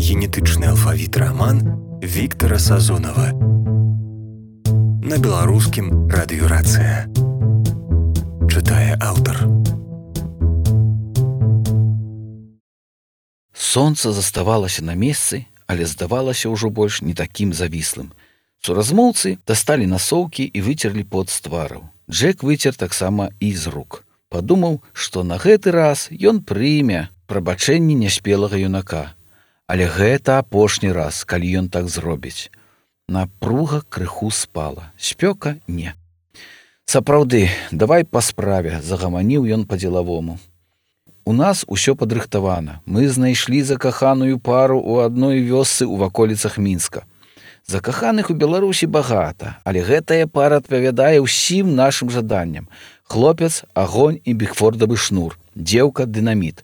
Генетычны алфавіт раман Віктара Сазонава. На беларускім радыёрацыя. Чытае аўтар. Сонца заставалася на месцы, але здавалася ўжо больш не такім завіслым. Суразмоўцы дасталі насоўкі і выцерлі пот з твараў. Джек выцер таксама і з рук. Падумаў, што на гэты раз ён прыме прабачэнні няспелага юнака. Але гэта апошні раз, калі ён так зробіць. Напруга крыху спала, спёка не. Сапраўды, давай па справе, загаманіў ён па-дзелавому. У нас усё падрыхтавана. Мы знайшлі закаханую пару ў адной вёсцы ў ваколіцах Мінска. Закаханых у Беларусі багата, але гэтая пара адпавядае ўсім нашым жаданням. Хлопец, агонь і бігфордавы шнур, дзеўка, дынаміт.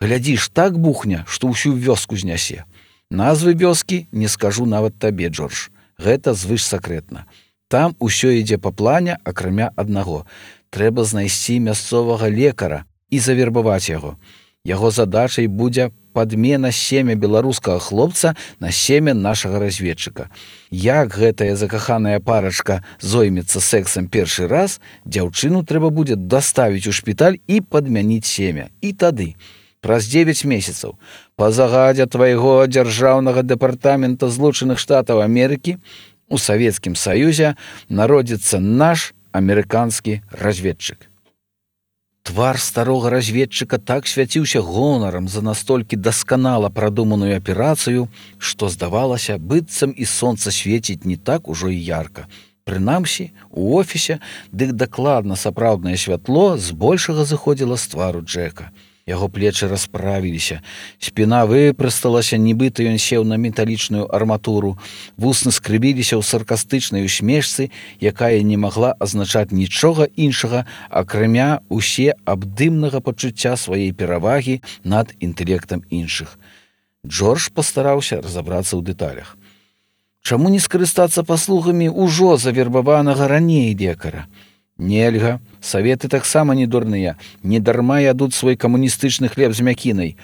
Глядзіш, так бухня, што ўсю вёску знясе. Назвы вёскі не скажу нават табе, Джордж. Гэта звышсакрэтна. Там усё ідзе па плане, акрамя аднаго. Трэба знайсці мясцовага лекара і завербаваць яго. Яго задачай будзе падмена семя беларускага хлопца на семя нашага разведчыка. Як гэтая закаханая парачка зоймецца сексам першы раз, дзяўчыну трэба будзе даставіць у шпіталь і падмяніць семя. І тады, праз 9 месяцаў, па загадзе твайго дзяржаўнага дэпартамента Злучаных Штатаў Амерыкі у Савецкім Саюзе народзіцца наш амерыканскі разведчык. Твар старога разведчыка так свяціўся гонарам за настолькі дасканала прадуманую аперацыю, што здавалася, быццам і сонца свеціць не так ужо і ярка. Прынамсі, у офісе дык дакладна сапраўднае святло збольшага зыходзіла з твару Джека. Яго плечы расправіліся, спіна выпрасталася, нібыта ён сеў на металічную арматуру, вусны скрыбіліся ў саркастычнай усмешцы, якая не магла азначаць нічога іншага, акрамя усе абдымнага пачуцця сваёй перавагі над інтэлектам іншых. Джордж пастараўся разабрацца ў дэталях. Чаму не скарыстацца паслугамі ўжо завербаванага раней лекара? Нельга, саветы таксама не дурныя, не дарма ядуць свой камуністычны хлеб з мякінай.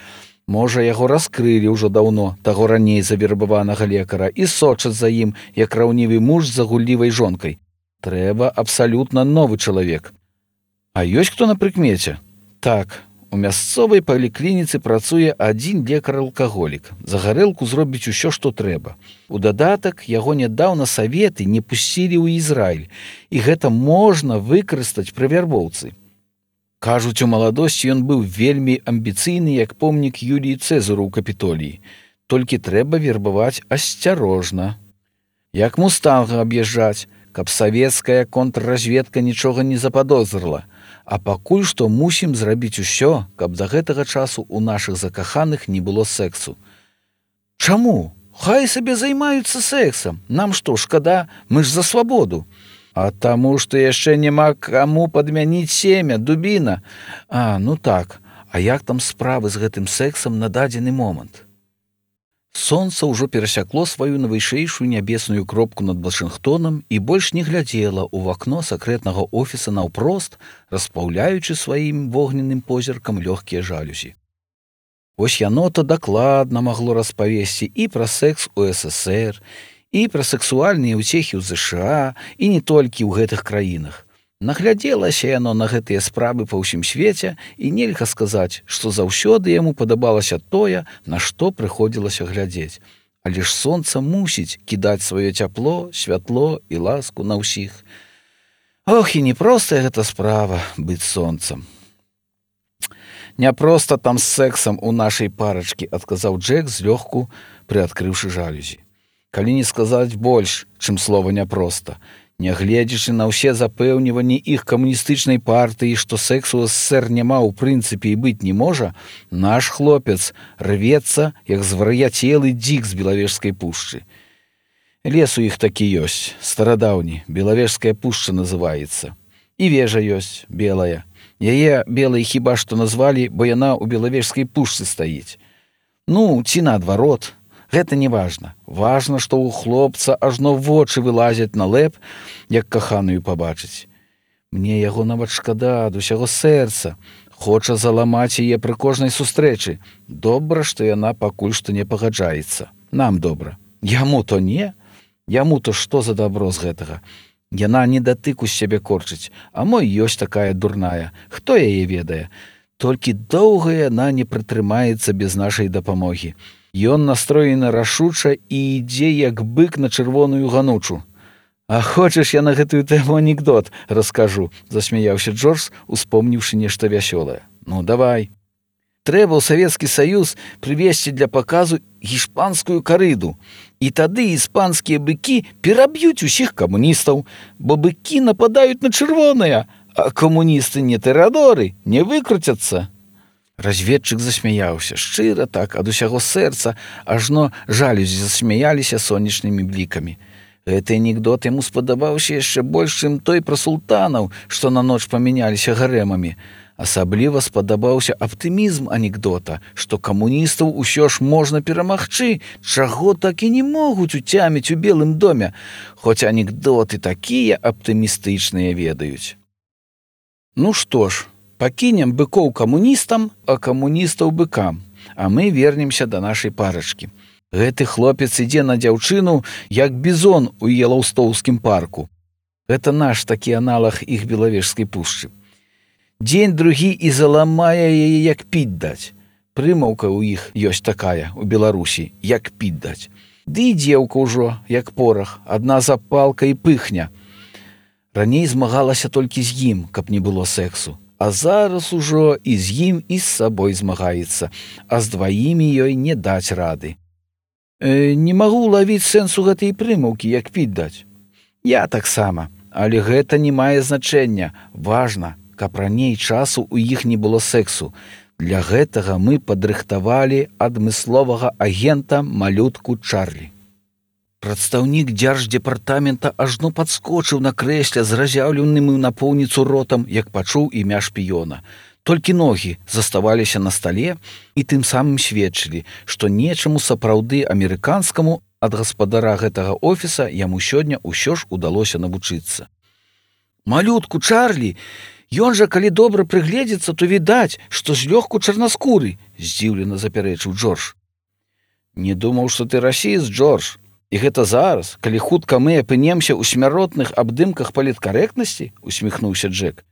Можа, яго раскрылі ўжо даўно, таго раней завербаванага лекара, і сочаць за ім, як раўнівы муж за гуллівай жонкай. Трэба абсалютна новы чалавек. А ёсць хто на прыкмеце? Так, у мясцовай паліклініцы працуе адзін лекар-алкаголік. За гарэлку зробіць усё, што трэба. У дадатак, яго нядаўна саветы не пусцілі ў Ізраіль, і гэта можна выкарыстаць пры вярбоўцы. Кажуць, у маладосці ён быў вельмі амбіцыйны, як помнік Юліі Цэзару ў Капітоліі. Толькі трэба вербаваць асцярожна. Як мустанга аб'язджаць, каб савецкая контрразведка нічога не западозрыла. А пакуль што мусім зрабіць усё, каб да гэтага часу ў нашых закаханых не было сексу. Чаму? Хай сабе займаюцца сексам. Нам што, шкада? Мы ж за свабоду. А таму, што яшчэ няма каму падмяніць семя, дубіна. Ну так. А як там справы з гэтым сексам на дадзены момант? Сонца ўжо перасякло сваю найвышэйшую нябесную кропку над Вашынгтонам і больш не глядзела ў вакно сакрэтнага офіса наўпрост, распаўляючы сваім вогненным позіркам лёгкія жалюзі. Вось яно-то дакладна магло распавесці і пра секс у СССР, і пра сексуальныя ўцехі ў ЗША, і не толькі ў гэтых краінах. Наглядзелася яно на гэтыя справы па ўсім свеце, і нельга сказаць, што заўсёды яму падабалася тое, на што прыходзілася глядзець. Але ж сонца мусіць кідаць сваё цяпло, святло і ласку на ўсіх. Ох, і непростая гэта справа быць сонцам. Не проста там з сексам у нашай парачкі, адказаў Джек злёгку, прыадкрыўшы жалюзі. Калі не сказаць больш, чым слова няпроста. Нягледзячы на ўсе запэўніванні іх камуністычнай партыі, што сексу ў СССР няма ў прынцыпе і быць не можа, наш хлопец рвецца, як звар'яцелы дзік з Белавежскай пушчы. Лес у іх такі ёсць, старадаўні, Белавежская пушча называецца. І вежа ёсць, белая. Яе белай хіба што назвалі, бо яна ў Белавежскай пушчы стаіць. Ці наадварот. Гэта не важна. Важна, што ў хлопца ажно вочы вылазяць на лэп, як каханую пабачыць. Мне яго нават шкада ад усяго сэрца. Хоча заламаць яе пры кожнай сустрэчы. Добра, што яна пакуль што не пагаджаецца. Нам добра. Яму то не. Яму то што за дабро з гэтага? Яна не датыку з сябе корчыць, а мо ёсць такая дурная. Хто яе ведае? Толькі доўга яна не прытрымаецца без нашай дапамогі. Ён настроены рашуча і ідзе як бык на чырвоную ганучу. А хочаш, я на гэтую тэму анекдот раскажу, засмяяўся Джордж, успомніўшы нешта вясёлае. Ну, давай. Трэба ў Савецкі Саюз прывесці для паказу гішпанскую карыду. І тады іспанскія быкі пераб'юць усіх камуністаў, бо быкі нападаюць на чырвоныя, а камуністы не тэрадоры, не выкруцяцца. Разведчык засмяяўся, шчыра так, ад усяго сэрца, ажно жалюзі засмяяліся сонечнымі блікамі. Гэты анекдот яму спадабаўся яшчэ больш, чым той пра султанаў, што на ноч памяняліся гарэмамі. Асабліва спадабаўся аптымізм анекдота, што камуністаў усё ж можна перамагчы, чаго так і не могуць уцяміць у Белым доме, хоць анекдоты такія аптымістычныя ведаюць. Ну што ж, пакінем быкоў камуністам, а камуністаў быкам, а мы вернемся да нашай парачкі. Гэты хлопец ідзе на дзяўчыну, як бізон у Елаўстоўскім парку. Гэта наш такі аналаг іх Белавежскай пушчы. Дзень другі і заламае яе, як піць даць. Прымаўка ў іх ёсць такая, у Беларусі, як піць даць. Ды і дзеўка ўжо, як порах, адна запалка і пыхня. Раней змагалася толькі з ім, каб не было сексу. А зараз ужо і з ім, і з сабой змагаецца, а з дваімі ёй не даць рады. Не магу лавіць сэнсу гэтай прымаўкі, як піць даць. Я таксама, але гэта не мае значэння. Важна, каб раней часу ў іх не было сексу. Для гэтага мы падрыхтавалі адмысловага агента малютку Чарлі. Прадстаўнік дзярждзепартамента ажно падскочыў на крэсле з разяўленым напоўніцу ротам, як пачуў імя шпіёна. Толькі ногі заставаліся на стале і тым самым сведчылі, што нечаму сапраўды амерыканскаму ад гаспадара гэтага офіса яму сёння ўсё ж удалося навучыцца. Малютку Чарлі, ён жа, калі добра прыгледзецца, то відаць, што злёгку чарнаскуры, здзіўлена запярэчыў Джордж. Не думаў, што ты расіст, Джордж. І гэта зараз, калі хутка мы апынемся ў смяротных абдымках паліткарэктнасці, усміхнуўся Джек.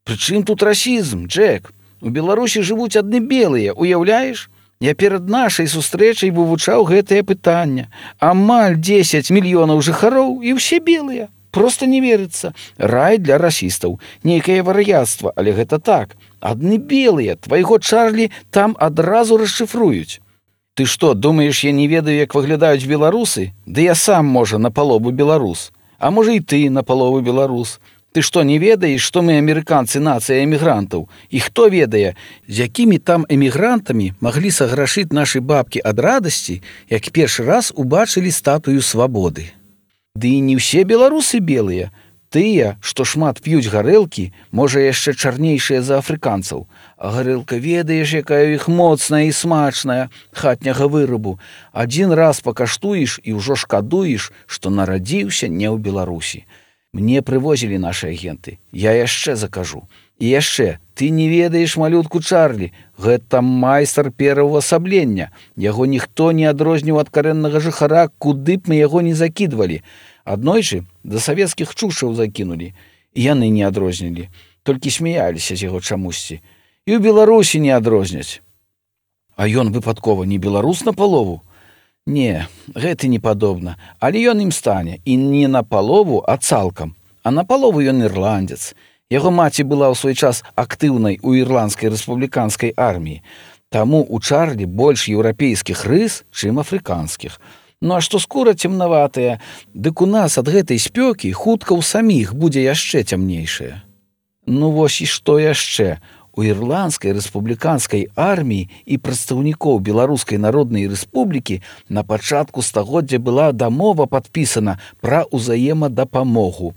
Прычым тут расізм, Джек? У Беларусі жывуць адны белыя, уяўляеш? Я перад нашай сустрэчай вывучаў гэтае пытанне. Амаль 10 мільёнаў жыхароў і ўсе белыя. Проста не верыцца. Рай для расістаў. Нейкае вар'яцтва, але гэта так. Адны белыя, твайго Чарлі там адразу расшыфруюць. Ты што, думаеш, я не ведаю, як выглядаюць беларусы? Ды я сам, можа, напалову беларус. А можа, і ты напалову беларус. Ты што, не ведаеш, што мы амерыканцы нацыя эмігрантаў? І хто ведае, з якімі там эмігрантамі маглі саграшыць нашы бабкі ад радасці, як першы раз убачылі статую свабоды? Ды і не ўсе беларусы белыя. Тыя, што шмат п'юць гарэлкі, можа, яшчэ чарнейшыя за афрыканцаў. А гарэлка, ведаеш, якая ў іх моцная і смачная, хатняга вырабу. Адзін раз пакаштуеш і ўжо шкадуеш, што нарадзіўся не ў Беларусі. Мне прывозілі нашы агенты. Я яшчэ закажу. І яшчэ, ты не ведаеш малютку Чарлі. Гэта майстар пераўвасаблення. Яго ніхто не адрозніў ад карэннага жыхара, куды б мы яго не закідвалі. Аднойчы да савецкіх чушчаў закінулі. І яны не адрознілі. Толькі смяяліся з яго чамусьці. І ў Беларусі не адрозняць. А ён выпадкова не беларус напалову? Не, гэта не падобна, але ён ім стане, і не напалову, а цалкам. А напалову ён ірландзец. Яго маці была ў свой час актыўнай у ірландскай рэспубліканскай арміі. Таму у Чарлі больш еўрапейскіх рыс, чым афрыканскіх. Ну а што скура цемнаватая, дык у нас ад гэтай спёкі хутка ў саміх будзе яшчэ цямнейшая. Ну вось і што яшчэ? У ірландскай рэспубліканскай арміі і прадстаўнікоў Беларускай народнай рэспублікі на пачатку стагоддзя была дамова падпісана пра ўзаемадапамогу.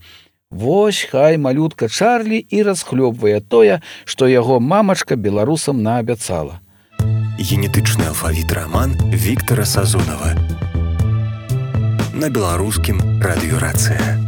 Вось хай малютка Чарлі і расхлёбвае тое, што яго мамачка беларусам наабяцала. Генетычны алфавіт раман Віктара Сазонава. На беларускім радыёрацыя.